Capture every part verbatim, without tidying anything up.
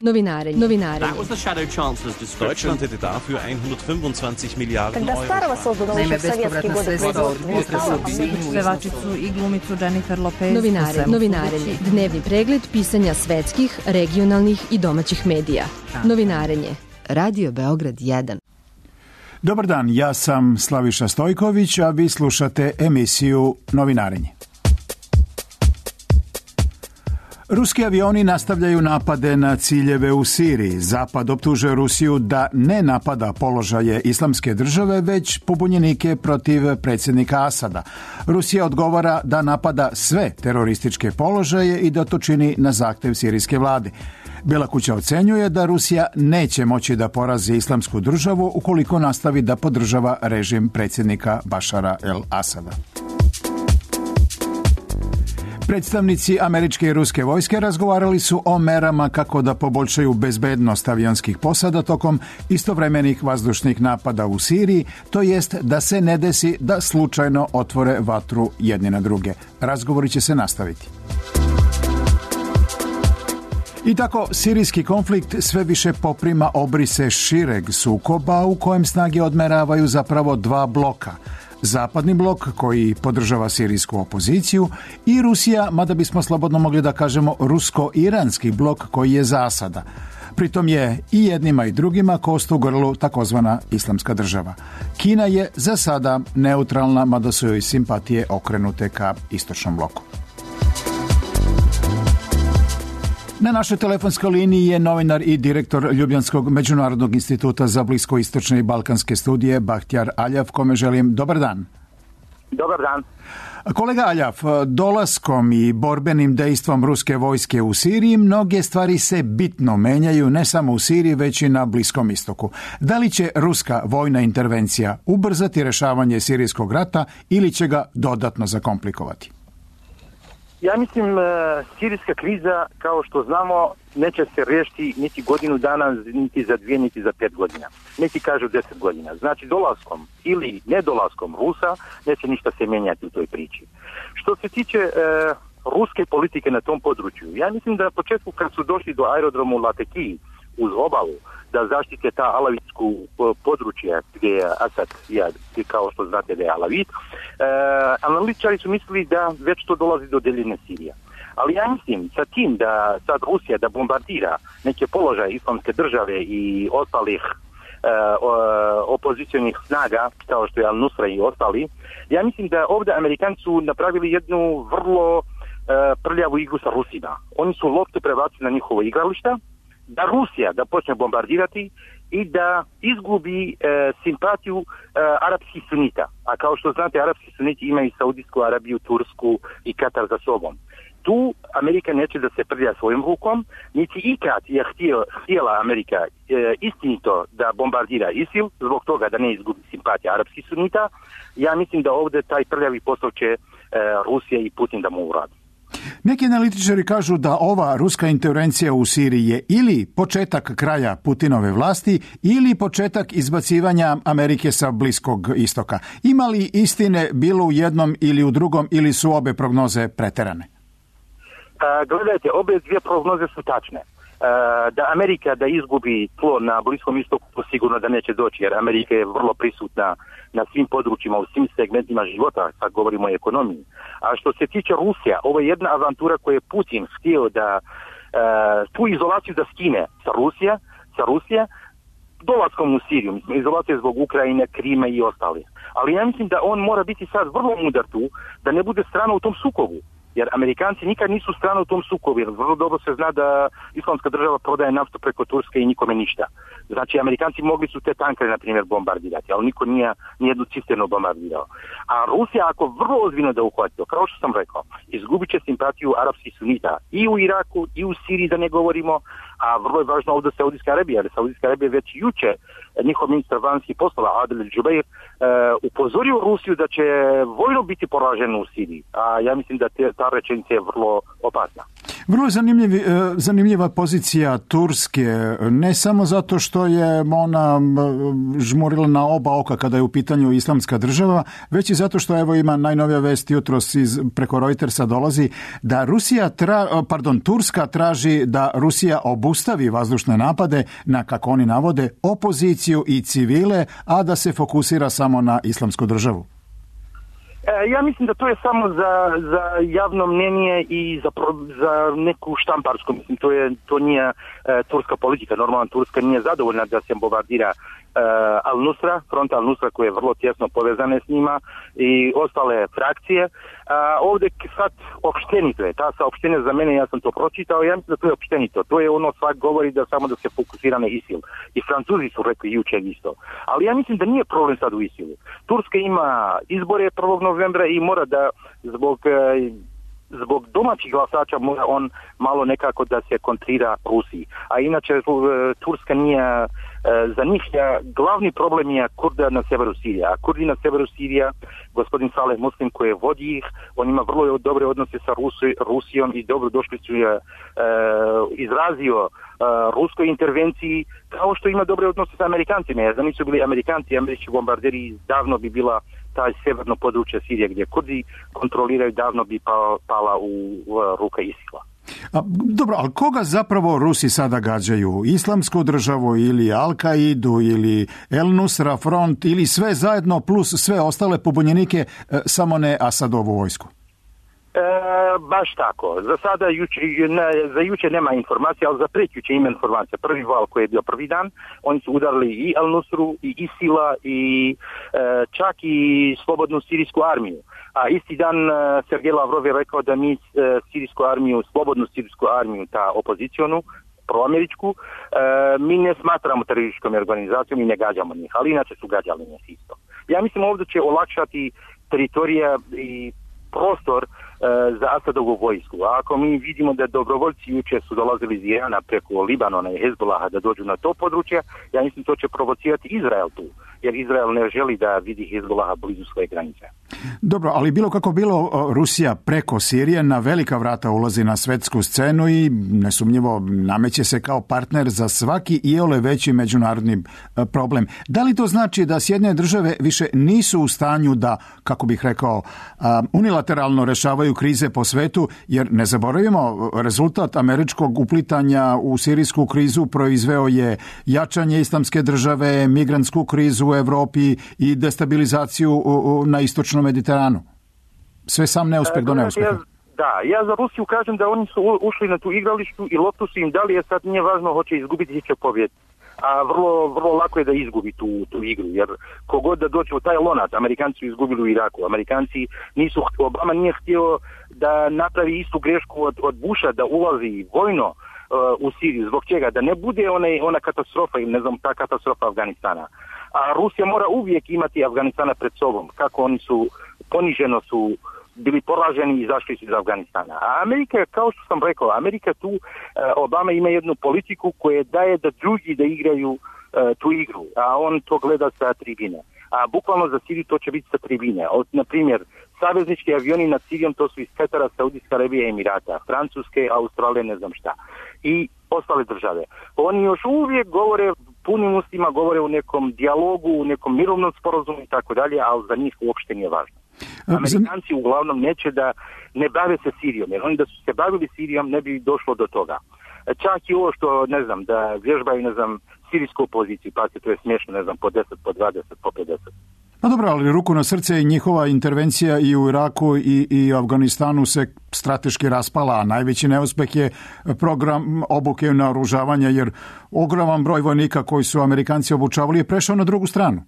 Novinarenje. Novinarenje. That was the Shadow Chancellor's description. Deutschland hätte dafür hundertfünfundzwanzig Milliarden Euro. Naime, bespovratna sredstva od potresa u Sinju. Pevačicu i glumicu Jennifer Lopez. Novinarenje. Novinarenje. Dnevni pregled pisanja svetskih, regionalnih i domaćih medija. Novinarenje. Radio Beograd jedan. Dobar dan, ja sam Slaviša Stojković, a vi slušate emisiju Novinarenje. Ruski avioni nastavljaju napade na ciljeve u Siriji. Zapad optužuje Rusiju da ne napada položaje Islamske države, već pobunjenike protiv predsjednika Asada. Rusija odgovara da napada sve terorističke položaje i da to čini na zahtjev sirijske vlade. Bijela kuća ocenjuje da Rusija neće moći da porazi Islamsku državu ukoliko nastavi da podržava režim predsjednika Bašara el-Asada. Predstavnici američke i ruske vojske razgovarali su o merama kako da poboljšaju bezbednost avionskih posada tokom istovremenih vazdušnih napada u Siriji, to jest da se ne desi da slučajno otvore vatru jedni na druge. Razgovori će se nastaviti. I tako, sirijski konflikt sve više poprima obrise šireg sukoba u kojem snage odmeravaju zapravo dva bloka. Zapadni blok koji podržava sirijsku opoziciju i Rusija, mada bismo slobodno mogli da kažemo rusko-iranski blok koji je za Asada. Pritom je i jednima i drugima kost u grlu takozvana Islamska država. Kina je za sada neutralna, mada su joj simpatije okrenute ka istočnom bloku. Na našoj telefonskoj liniji je novinar i direktor Ljubljanskog međunarodnog instituta za bliskoistočne i balkanske studije Bahtjar Aljav, kome želim dobar dan. Dobar dan. Kolega Aljav, dolaskom i borbenim dejstvom ruske vojske u Siriji mnoge stvari se bitno menjaju ne samo u Siriji već i na Bliskom istoku. Da li će ruska vojna intervencija ubrzati rešavanje sirijskog rata ili će ga dodatno zakomplikovati? Ja mislim, sirijska kriza, kao što znamo, neće se riješiti niti godinu dana, niti za dvije, niti za pet godina. Neki kažu deset godina. Znači, dolaskom ili nedolaskom Rusa neće ništa se mijenjati u toj priči. Što se tiče e, ruske politike na tom području, ja mislim da na početku kad su došli do aerodromu Lateki uz obalu, da zaštite ta alavitsku područje gdje je Asad, ja, kao što znate da je alavit, e, analitičari su mislili da već to dolazi do deljene Sirije. Ali ja mislim sa tim da sad Rusija da bombardira neke položaje Islamske države i ostalih e, opozicionih snaga, kao što je Al-Nusra i ostali, ja mislim da ovdje Amerikanci su napravili jednu vrlo e, prljavu igru sa Rusima. Oni su loptu prebacili na njihovo igrališta, da Rusija da počne bombardirati i da izgubi e, simpatiju e, arapskih sunita. A kao što znate, arapski suniti imaju Saudijsku Arabiju, Tursku i Katar za sobom. Tu Amerika neće da se prlja svojim rukom, niti ikad je htio, htjela Amerika e, istinito da bombardira ISIL, zbog toga da ne izgubi simpatija arapskih sunita. Ja mislim da ovdje taj prljavi posao će e, Rusija i Putin da mu uradi. Neki analitičari kažu da ova ruska intervencija u Siriji je ili početak kraja Putinove vlasti ili početak izbacivanja Amerike sa Bliskog istoka. Ima li istine bilo u jednom ili u drugom ili su obe prognoze preterane? A, gledajte, obe dvije prognoze su tačne. A, da Amerika da izgubi tlo na Bliskom istoku, to sigurno da neće doći, jer Amerika je vrlo prisutna na svim područjima, u svim segmentima života, sad govorimo o ekonomiji. A što se tiče Rusija, ovo je jedna avantura koju je Putin htio da uh, tu izolaciju da skine sa Rusija, sa Rusija dolaskom u Siriju, mislim, izolacija zbog Ukrajine, Krima i ostalih. Ali ja mislim da on mora biti sad vrlo mudar tu, da ne bude strana u tom sukobu. Jer Amerikanci nikad nisu strana u tom sukobu, jer vrlo dobro se zna da Islamska država prodaje naftu preko Turske i nikome ništa. Znači, Amerikanci mogli su te tankere, na primjer, bombardirati, ali niko nije nijednu cisternu bombardirao. A Rusija, ako vrlo ozbiljno da uhvati to, kao što sam rekao, izgubit će simpatiju arapskih sunita i u Iraku, i u Siriji, da ne govorimo, a vrlo je važno ovdje Saudijska Arabija, jer Saudijska Arabija već juče njihov ministar vanjskih poslova Adel Džubeir uh, upozorio Rusiju da će vojno biti poraženo u Siriji. A ja mislim da te, ta ta rečenica je vrlo opasna. Vrlo zanimljiv, zanimljiva pozicija Turske, ne samo zato što je ona žmurila na oba oka kada je u pitanju Islamska država, već i zato što evo ima najnovija vest jutros iz, preko Reutersa dolazi da Rusija tra, pardon, Turska traži da Rusija obustavi vazdušne napade na, kako oni navode, opoziciju i civile, a da se fokusira samo na Islamsku državu. Ja mislim da to je samo za, za javno mnenje i za, za neku štamparsku, mislim, to, je, to nije e, turska politika. Normalno Turska nije zadovoljna da se bombardira e, Al-Nusra, front Al-Nusra koji je vrlo tjesno povezane s njima i ostale frakcije. A, ovdje sad opštenito je, ta saopštenja za mene, ja sam to pročitao, ja mislim da to je opštenito. To je ono, svak govori da samo da se fokusira na ISIL. I Francuzi su rekli jučer isto. Ali ja mislim da nije problem sad u ISILu. Turska ima izbore prvog novembra i mora da zbog zbog domaćih glasača mora on malo nekako da se kontrira Rusiji. A inače Turska nije za njih je, glavni problem je Kurda na severu Sirije. A Kurdi na severu Sirija, gospodin Saleh Muslim koji vodi ih, on ima vrlo dobre odnose sa Rusi, Rusijom i dobro došli su je e, izrazio e, ruskoj intervenciji kao što ima dobre odnose sa Amerikancima. Jer da nisu bili Amerikanci, američki bombarderi, davno bi bila taj severno područje Sirije gdje Kurdi kontroliraju, davno bi pa, pala u, u ruke ISIL-a. A, dobro, ali koga zapravo Rusi sada gađaju? Islamsku državu ili Al-Kaidu ili El-Nusra front ili sve zajedno plus sve ostale pobunjenike, e, samo ne Asadovu vojsku? E, baš tako. Za sada juče, ne, za juče nema informacija, ali za prekjuče ima informacija. Prvi val koji je bio prvi dan, oni su udarili i Al-Nusru, i ISIL-a, i e, čak i slobodnu sirijsku armiju. A isti dan Sergej Lavrov je rekao da mi sirijsku armiju, slobodnu sirijsku armiju, ta opozicionu, proameričku, mi ne smatramo terorističkom organizacijom i ne gađamo njih, ali inače su gađali njih isto. Ja mislim ovdje će olakšati teritorija i prostor za Asadovu vojsku. A ako mi vidimo da dobrovoljci jučer su dolazili iz Irana preko Libanona i Hezbolaha da dođu na to područje, ja mislim to će provocirati Izrael tu, jer Izrael ne želi da vidi Hezbolaha blizu svoje granice. Dobro, ali bilo kako bilo, Rusija preko Sirije na velika vrata ulazi na svetsku scenu i nesumnjivo nameće se kao partner za svaki iole veći međunarodni problem. Da li to znači da Sjedinjene države više nisu u stanju da, kako bih rekao, unilateralno rešavaju krize po svetu, jer ne zaboravimo, rezultat američkog uplitanja u sirijsku krizu proizveo je jačanje islamske države, migrantsku krizu u Evropi i destabilizaciju na istočnom Mediteranu. Sve sam neuspeh do neuspeha. Ja, da, ja za Rusiju kažem da oni su ušli na tu igralištu i loptu su im dali, je sad nije važno hoće izgubiti, će pobjediti. A vrlo, vrlo lako je da izgubi tu, tu igru, jer kogod da dođe u taj lonac, Amerikanci su izgubili u Iraku. Amerikanci nisu, Obama nije htio da napravi istu grešku od, od Busha, da ulazi vojno uh, u Siriju. Zbog čega? Da ne bude one, ona katastrofa ili ne znam, ta katastrofa Afganistana. A Rusija mora uvijek imati Afganistana pred sobom. Kako oni su, poniženo su bili poraženi i izašli su iz Afganistana. A Amerika, kao što sam rekao, Amerika tu, Obama ima jednu politiku koja daje da drugi da igraju uh, tu igru, a on to gleda sa tribine. A bukvalno za Siriju to će biti sa tribine. Od, na primjer, saveznički avioni nad Sirijom, to su iz Katara, Saudijska Arabija i Emirata, Francuske, Australije, ne znam šta. I ostale države. Oni još uvijek govore, punim ustima govore u nekom dijalogu, u nekom mirovnom sporazumu i tako dalje, ali za njih uopšte nije važno. Amerikanci uglavnom neće da ne bave se Sirijom, jer oni da su se bavili Sirijom ne bi došlo do toga. Čak i ovo što, ne znam, da vježbaju, ne znam, sirijsku opoziciju, pa to je smiješno, ne znam, po deset, po dvadeset, po pedeset. No dobro, ali ruku na srce i njihova intervencija i u Iraku i, i Afganistanu se strateški raspala, a najveći neuspeh je program obuke i naoružavanja, jer ogroman broj vojnika koji su Amerikanci obučavali je prešao na drugu stranu.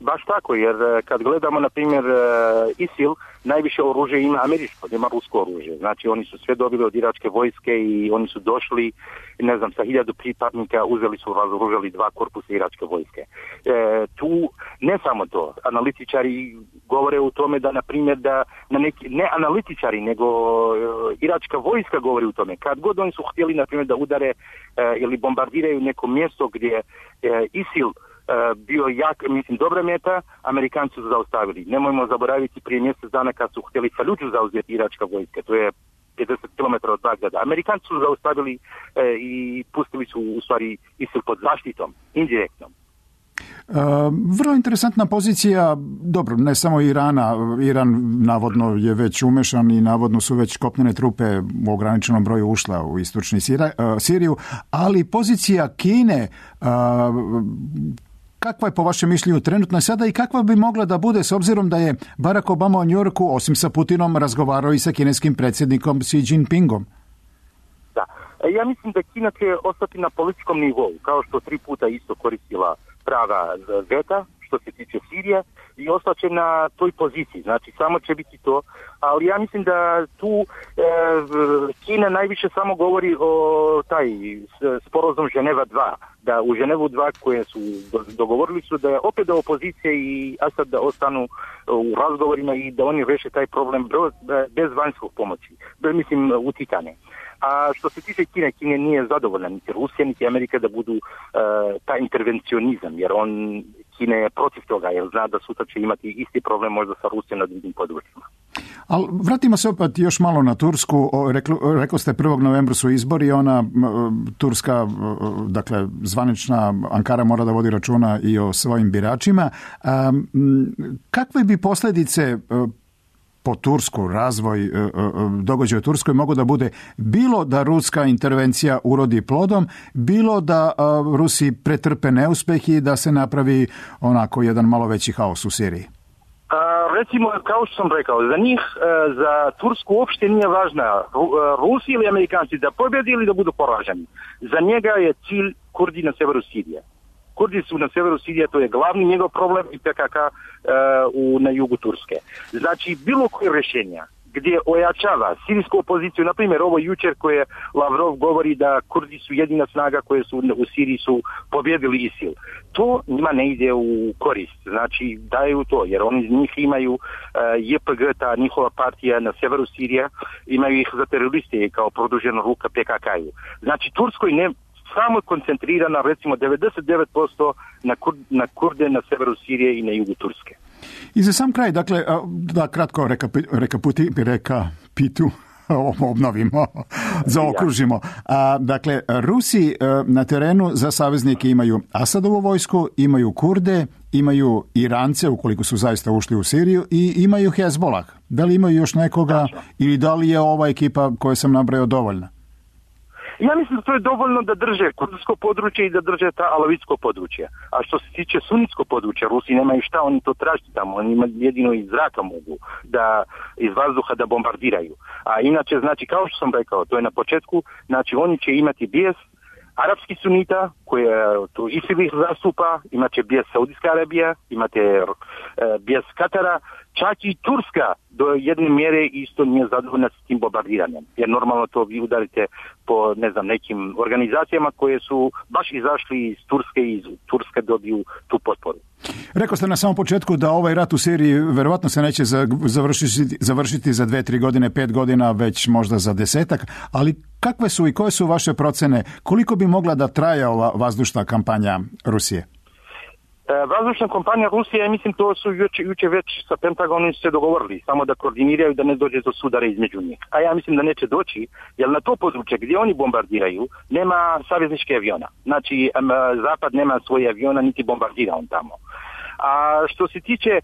Baš tako, jer kad gledamo, na primjer, ISIL, najviše oružje ima američko, nema rusko oružje. Znači, oni su sve dobili od iračke vojske i oni su došli, ne znam, sa hiljadu pripadnika uzeli su, razoružali dva korpusa iračke vojske. E, tu, ne samo to, analitičari govore u tome da, na primjer, da na neki, ne analitičari, nego e, iračka vojska govori u tome. Kad god oni su htjeli, na primjer, da udare e, ili bombardiraju neko mjesto gdje e, ISIL bio jak, mislim, dobra meta, Amerikanci su zaustavili. Nemojmo zaboraviti prije mjesec dana kad su htjeli Faludžu zauzeti iračka vojska, to je pedeset kilometara od Bagdada. Amerikanci su zaustavili e, i pustili su u stvari ISIL pod zaštitom, indirektnom. Uh, vrlo interesantna pozicija, dobro, ne samo Irana, Iran navodno je već umešan i navodno su već kopnene trupe u ograničenom broju ušla u istočni Sira, uh, Siriju, ali pozicija Kine, uh, kakva je po vašem mišljenju trenutno sada i kakva bi mogla da bude s obzirom da je Barack Obama u Njujorku, osim sa Putinom, razgovarao i sa kineskim predsjednikom Xi Jinpingom? Da, ja mislim da Kina će ostati na političkom nivou, kao što tri puta isto koristila prava veta što se tiče Sirije i ostaće na toj poziciji, znači samo će biti to, ali ja mislim da tu e, Kina najviše samo govori o taj sporazum Ženeva dva, da u Ženevu dva koje su dogovorili su da je opet da opozicija i Asad da ostanu u razgovorima i da oni reše taj problem bez vanjskog pomoći, mislim utjecanja. A što se tiče Kine, Kine nije zadovoljna niti Rusija, niti Amerika da budu uh, taj intervencionizam, jer on, Kine je protiv toga, jer zna da sutra će imati isti problem možda sa Rusijom na drugim područjima. Ali vratimo se opet još malo na Tursku. Rekli, rekli ste prvog novembra su izbori, ona turska, dakle zvanična Ankara mora da vodi računa i o svojim biračima. Um, kakve bi posljedice uh, po Tursku, razvoj događaja u Turskoj mogu da bude bilo da ruska intervencija urodi plodom, bilo da Rusi pretrpe neuspeh i da se napravi onako jedan malo veći haos u Siriji? A, recimo, kao što sam rekao, za njih, za Tursku uopšte nije važna Rusi ili Amerikanci da pobjedi ili da budu poraženi. Za njega je cilj Kurdi na severu Sirije. Kurdi su na severu Sirije, to je glavni njegov problem i P K K uh, u, na jugu Turske. Znači, bilo koje rješenja gdje ojačava sirijsku opoziciju, na primjer ovo jučer koje Lavrov govori da Kurdi su jedina snaga koje su u Siriji su pobjedili ISIL. To njima ne ide u korist, znači daju to, jer oni iz njih imaju uh, J P G, ta njihova partija na severu Sirije, imaju ih za teroriste kao produžena ruka P K K-u. Znači, Turskoj ne samo koncentrirana recimo devedeset devet posto na, kur, na Kurde na severu Sirije i na jugu Turske. I za sam kraj, dakle, da kratko reka, reka, puti, reka pitu, obnovimo, zaokružimo. A, dakle, Rusi na terenu za saveznike imaju Asadovu vojsku, imaju Kurde, imaju Irance, ukoliko su zaista ušli u Siriju, i imaju Hezbolah. Da li imaju još nekoga Tačno. Ili da li je ova ekipa koju sam nabrojao dovoljna? Ja mislim da to je dovoljno da drže kurdsko područje i da drže ta alavitsko područje. A što se tiče sunnitsko područje, Rusi nemaju šta, oni to tražiti tamo. Oni jedino iz zraka mogu, da iz vazduha da bombardiraju. A inače, znači, kao što sam rekao, to je na početku, znači oni će imati bijes arapski sunita, koje tu ISIL ih zastupa, imaće bijes Saudijska Arabija, imate e, bijes Katara, čak i Turska do jedne mjere isto nije zadovoljna s tim bombardiranjem. Jer normalno to vi udarite po, ne znam, nekim organizacijama koje su baš izašli iz Turske i iz Turske dobiju tu potporu. Rekao ste na samom početku da ovaj rat u Siriji verovatno se neće završiti, završiti za dve, tri godine, pet godina, već možda za desetak, ali kakve su i koje su vaše procene? Koliko bi mogla da traje ova vazdušna kampanja Rusije? Vazdušna kampanja Rusije, ja mislim, to su juče, juče već sa Pentagonom se dogovorili, samo da koordiniraju da ne dođe do sudara između njih. A ja mislim da neće doći, jer na to područje gdje oni bombardiraju nema savezničke aviona. Znači, Zapad nema svoje aviona, niti bombardira on tamo. A što se tiče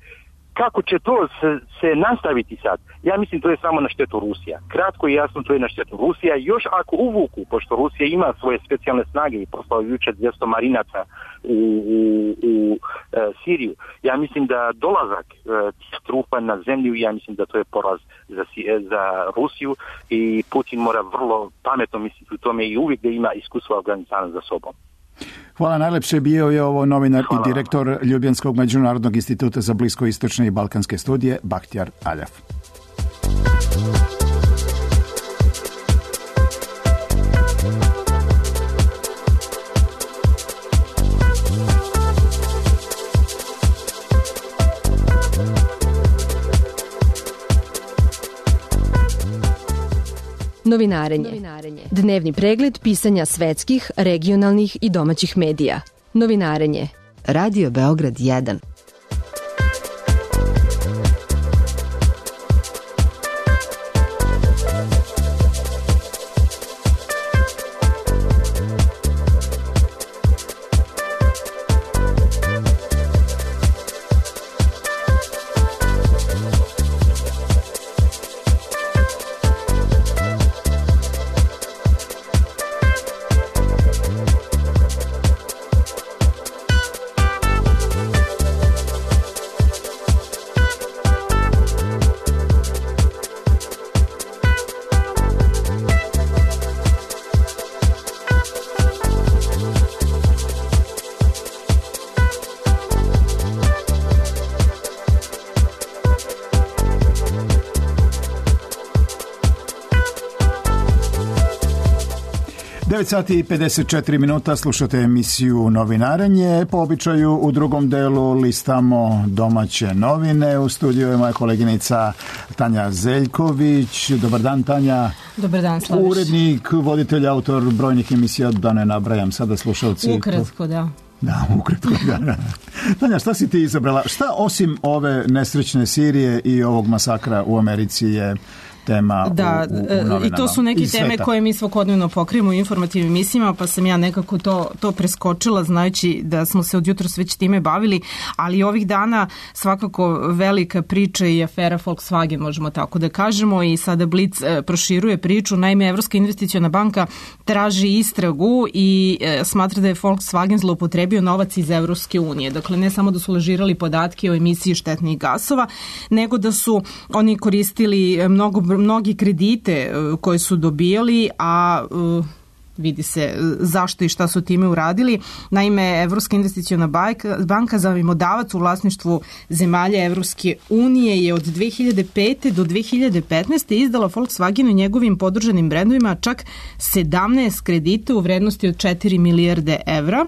kako će to se, se nastaviti sad, ja mislim to je samo na štetu Rusija. Kratko i jasno, to je na štetu Rusija. Još ako uvuku, pošto Rusija ima svoje specijalne snage i poslao juče dvjesto marinaca u, u, u e, Siriju, ja mislim da dolazak e, tih trupa na zemlju, ja mislim da to je poraz za, za Rusiju i Putin mora vrlo pametno misliti u tome i uvijek da ima iskustvo Afganistana za sobom. Hvala najlepše. Bio je ovo novinar Hvala. I direktor Ljubljanskog međunarodnog instituta za bliskoistočne i balkanske studije Bahtjar Aljaf. Novinarenje. Dnevni pregled pisanja svetskih, regionalnih i domaćih medija. Novinarenje. Radio Beograd jedan. devet sati i pedeset četiri minuta, slušate emisiju Novinarenje. Po običaju u drugom delu listamo domaće novine. U studiju je moja koleginica Tanja Zeljković. Dobar dan, Tanja. Dobar dan, Slaviš. Urednik, voditelj, autor brojnih emisija, da ne nabrajam sada slušalci. Ukratko, da. Da, ukratko, da, da. Tanja, šta si ti izabrala? Šta osim ove nesrećne Sirije i ovog masakra u Americi je tema da, u, u, u novinama? I to su neke teme koje mi svakodnevno pokrijemo u informativnim emisijama, pa sam ja nekako to, to preskočila, znajući da smo se od jutros već time bavili, ali ovih dana svakako velika priča i afera Volkswagen, možemo tako da kažemo, i sada Blic e, proširuje priču. Naime, Evropska investiciona banka traži istragu i e, smatra da je Volkswagen zloupotrebio novac iz Evropske unije. Dakle, ne samo da su lažirali podatke o emisiji štetnih gasova, nego da su oni koristili mnogo mnogi kredite koje su dobijali, a uh, vidi se zašto i šta su time uradili. Naime, Evropska investiciona banka, zajmodavac u vlasništvu zemalja Evropske unije, je od dve hiljade pete do dve hiljade petnaeste izdala Volkswagenu i njegovim podržanim brendovima čak sedamnaest kredita u vrednosti od četiri milijarde evra.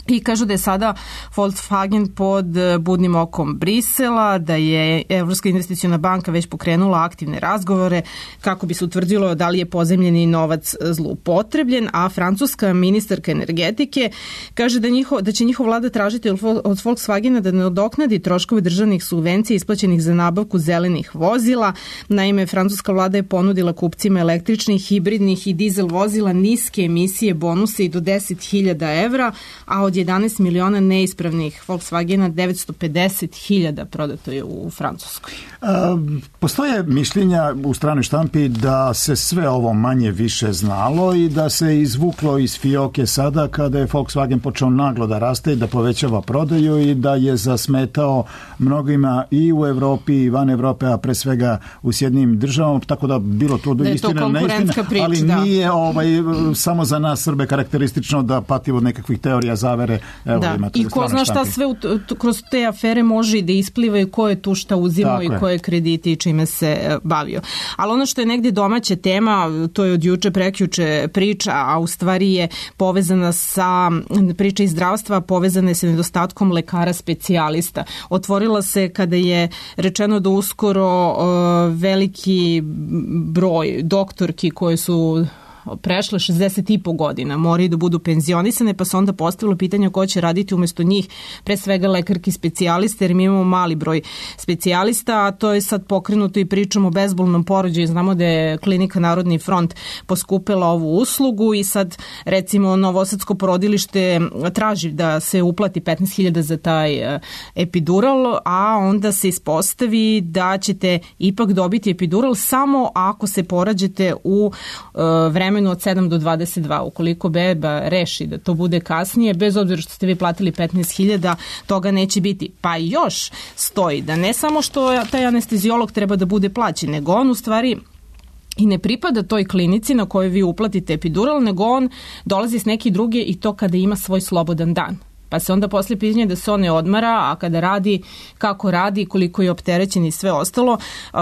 I kažu da je sada Volkswagen pod budnim okom Brisela, da je Evropska investiciona banka već pokrenula aktivne razgovore kako bi se utvrdilo da li je pozemljeni novac zloupotrebljen, a francuska ministarka energetike kaže da, njiho, da će njihova vlada tražiti od Volkswagena da nadoknadi troškove državnih subvencija isplaćenih za nabavku zelenih vozila. Naime, francuska vlada je ponudila kupcima električnih, hibridnih i dizel vozila niske emisije bonuse i do deset hiljada evra, a od jedanaest miliona neispravnih Volkswagena devetsto pedeset hiljada prodato je u Francuskoj. A, postoje mišljenja u stranoj štampi da se sve ovo manje više znalo i da se izvuklo iz fioke sada kada je Volkswagen počeo naglo da raste i da povećava prodaju i da je zasmetao mnogima i u Evropi i van Evrope, a pre svega u Sjedinjenim državama, tako da bilo to da istina, neistina, prič, ali da. nije ovaj, samo za nas Srbe karakteristično da patimo od nekakvih teorija zavere. Evo, da, i ko zna šta sve u, kroz te afere može i da ispliva i ko je tu šta uzimao i koje krediti i čime se bavio. Ali ono što je negdje domaća tema, to je od juče prekjuče priča, a u stvari je povezana sa priča iz zdravstva, povezana je sa nedostatkom lekara specijalista. Otvorila se kada je rečeno da uskoro uh, veliki broj doktorki koje su prešle šezdeset i po godina, moraju da budu penzionisane, pa se onda postavilo pitanje ko će raditi umjesto njih, pre svega lekarki specijaliste, jer mi imamo mali broj specijalista, a to je sad pokrenuto i pričamo o bezbolnom porođaju. Znamo da je klinika Narodni front poskupila ovu uslugu i sad recimo Novosadsko porodilište traži da se uplati petnaest hiljada za taj epidural, a onda se ispostavi da ćete ipak dobiti epidural samo ako se porađete u vremenu od sedam do dvadeset dva. Ukoliko beba reši da to bude kasnije, bez obzira što ste vi platili petnaest hiljada, toga neće biti. Pa još stoji da ne samo što taj anestezijolog treba da bude plaćen, nego on u stvari i ne pripada toj klinici na kojoj vi uplatite epidural, nego on dolazi s neke druge i to kada ima svoj slobodan dan. Pa se onda poslije pitanje da se on ne odmara, a kada radi, kako radi, koliko je opterećen i sve ostalo. Uh,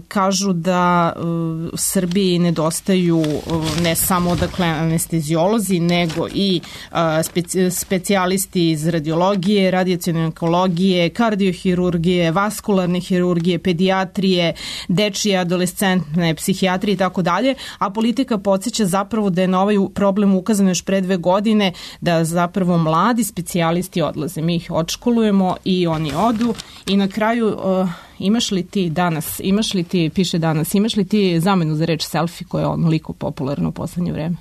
kažu da uh, u Srbiji nedostaju uh, ne samo dakle anestezijolozi, nego i uh, speci- specijalisti iz radiologije, radijacione onkologije, kardiohirurgije, vaskularne hirurgije, pedijatrije, dečije, adolescentne, psihijatrije i tako dalje, a politika podsjeća zapravo da je na ovaj problem ukazano još pre dve godine, da zapravo mladi mladi specijalisti odlaze, mi ih odškolujemo i oni odu i na kraju uh, imaš li ti danas, imaš li ti, piše danas, imaš li ti zamenu za reč selfie koja je onoliko popularna u poslednje vreme?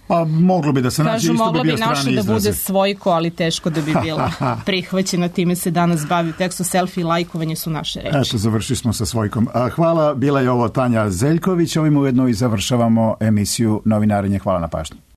Pa moglo bi da se naći, isto bi bio strani izrazi. Mogla bi naša da bude svojko, ali teško da bi bila prihvaćena, time se danas bavi tekstu, selfie i lajkovanje su naše reči. Eto, završili smo sa svojkom. Hvala, bila je ovo Tanja Zeljković, ovim ujedno i završavamo emisiju Novinarenje. Hvala na pažnji.